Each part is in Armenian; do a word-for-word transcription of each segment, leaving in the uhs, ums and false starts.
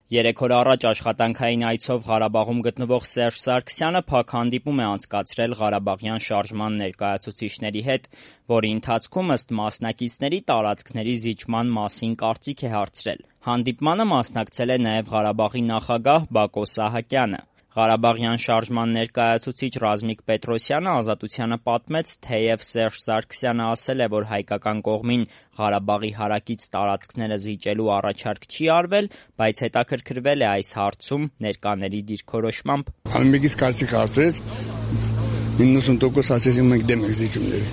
Երեք օր առաջ աշխատանքային այցով Ղարաբաղում գտնվող Սերժ Սարգսյանը փակ հանդիպում է անցկացրել Ղարաբաղյան շարժման ներկայացուցիչների հետ, որի ընթացքում ըստ մասնակիցների տարածքների զիջման մասին կարծիք է հարցրել։ Հանդիպմանը մասնակցել է նաև Ղարաբաղի նախագահ Բակո Սահակյանը։ Ղարաբաղյան շարժման ներկայացուցիչ Ռազմիկ Պետրոսյանը Ազատությանը պատմեց, թեև Սերժ Սարգսյանը ասել է, որ հայկական կողմին Ղարաբաղի հարակից տարածքները զիջելու առաջարկ չի արվել, բայց հետաքրքրվել է այս հարցում ներկաների դիրքորոշմամբ։ Ամենից կարծիք հարցրեց, իննսուն տոկոս ասեցին մենք դեմ ենք զիջումների։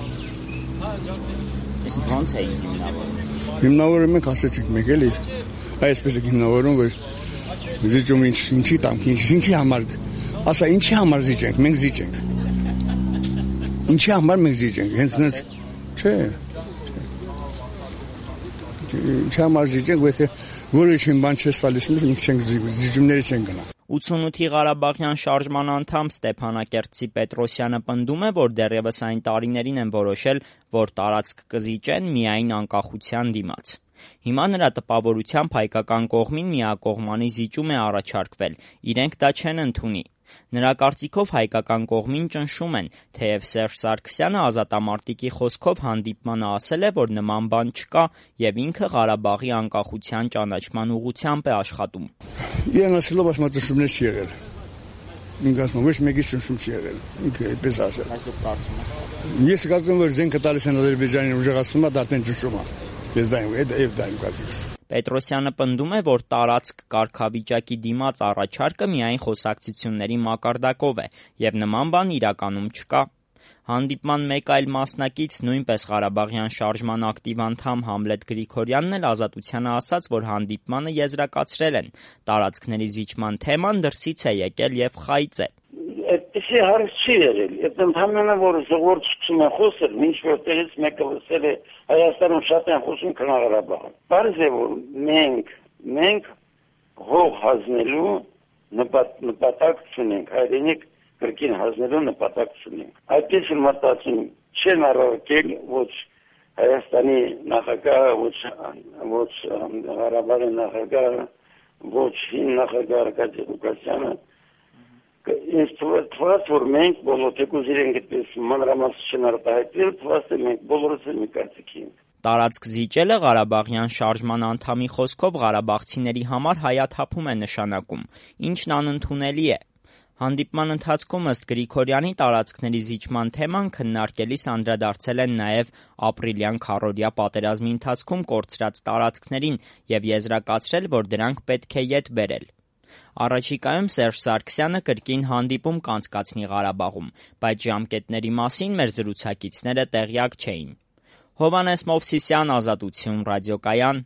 Իսկ ո՞նց էին հիմնավորում։ Հիմնավորում ենք ասեցինք մենք էլի, այսպես է հիմնավորում, որ զիջում ինչ ինչի տամ, ինչի համար, ասա ինչի համար զիջենք, մենք զիջենք։ Ինչի համար մենք զիջենք, հենց նենց, չէ։ Ինչի համար զիջենք, եթե որոշին բան չես տալիս, մենք չենք զիջումների չենք գնա։ ութսունութի Ղարաբաղյան շարժման անդամ Ստեփանակերտցի Պետրոսյանը պնդում է, որ դեռևս այն տարիներին են որոշել, որ տարածք կզիջեն միայն անկախության դիմաց։ Հիմա նրա տպավորությամբ հայկական կողմին միակողմանի զիջում է առաջարկվել, իրենք դա չեն ընդունի։ Նրա կարծիքով հայկական կողմին ճնշում են, թեև Սերժ Սարգսյանը ազատամարտիկի խոսքով հանդիպմանը ասել է, որ նման բան չկա եւ ինքը Ղարաբաղի անկախության ճանաչման ուղղությամբ է աշխատում։ Իրեն ասելով ասում ճնշումներ չի եղել։ Ինքը ասում ոչ մեկից ճնշում չի եղել։ Ինքը այդպես ասել։ Այս դուք կարծում եք։ Ես կարծում եմ, որ զենքը տալիս են Ադրբեջանին ուժեղացումը, դա արդեն ճնշում է։ Ես դա եմ, այդ դա եմ կարծիքս։ Պետրոսյանը պնդում է, որ տարածք կարգավիճակի դիմաց առաջարկը միայն խոսակցությունների մակարդակով է եւ նման բան իրականում չկա։ Հանդիպման մեկ այլ մասնակից, նույնպես Ղարաբաղյան շարժման ակտիվ անդամ Համլետ Գրիգորյանն էլ Ազատությանը ասաց, որ հանդիպմանը եզրակացրել են, տարածքների զիջման թեման դրսից է եկել եւ խայծ է։ Այդպեսի հարց չի եղել, այդ ընդհանրապես որ ժողովուրդ սկսում է խոսել, ինչ որտեղից մեկը լսել է Հայաստանում շատ են խոսում Ղարաբաղում։ Բարձ է որ մենք մենք հող հանձնելու նպատակ ունենք, հայրենիք կրկին հանձնելու նպատակ ունենք։ Այդպես մտածում չեն առարկել ոչ Հայաստանի նախագահը, ոչ ոչ Ղարաբաղի նախագահը, ոչ հին նախագահ Արկադի Ղուկասյանը։ Ինձ թվաց, որ մենք բոլոր թեկուզ իրենք այդպես մանրամասն չնարտահայտել, թվաց է մենք բոլորս էլ մի կարծիքի ենք։ Տարածք զիջելը Ղարաբաղյան շարժման անդամի խոսքով ղարաբաղցիների համար հայաթափում է նշանակում, ինչն անընդունելի է։ Հանդիպման ընթացքում ըստ Գրիգորյանի տարածքների զիջման թեման քննարկելիս անդրադարձել են նաև ապրիլյան քառօրյա պատերազմի ընթացքում կորցրած տարածքներին եւ եզրակացրել, որ դրանք պետք է ետ բերել։ Առաջիկայում Սերժ Սարգսյանը կրկին հանդիպում կանցկացնի Ղարաբաղում, բայց ժամկետների մասին մեր զրուցակիցները տեղյակ չէին։ Հովհաննես Մովսիսյան, Ազատություն, ռադիոկայան։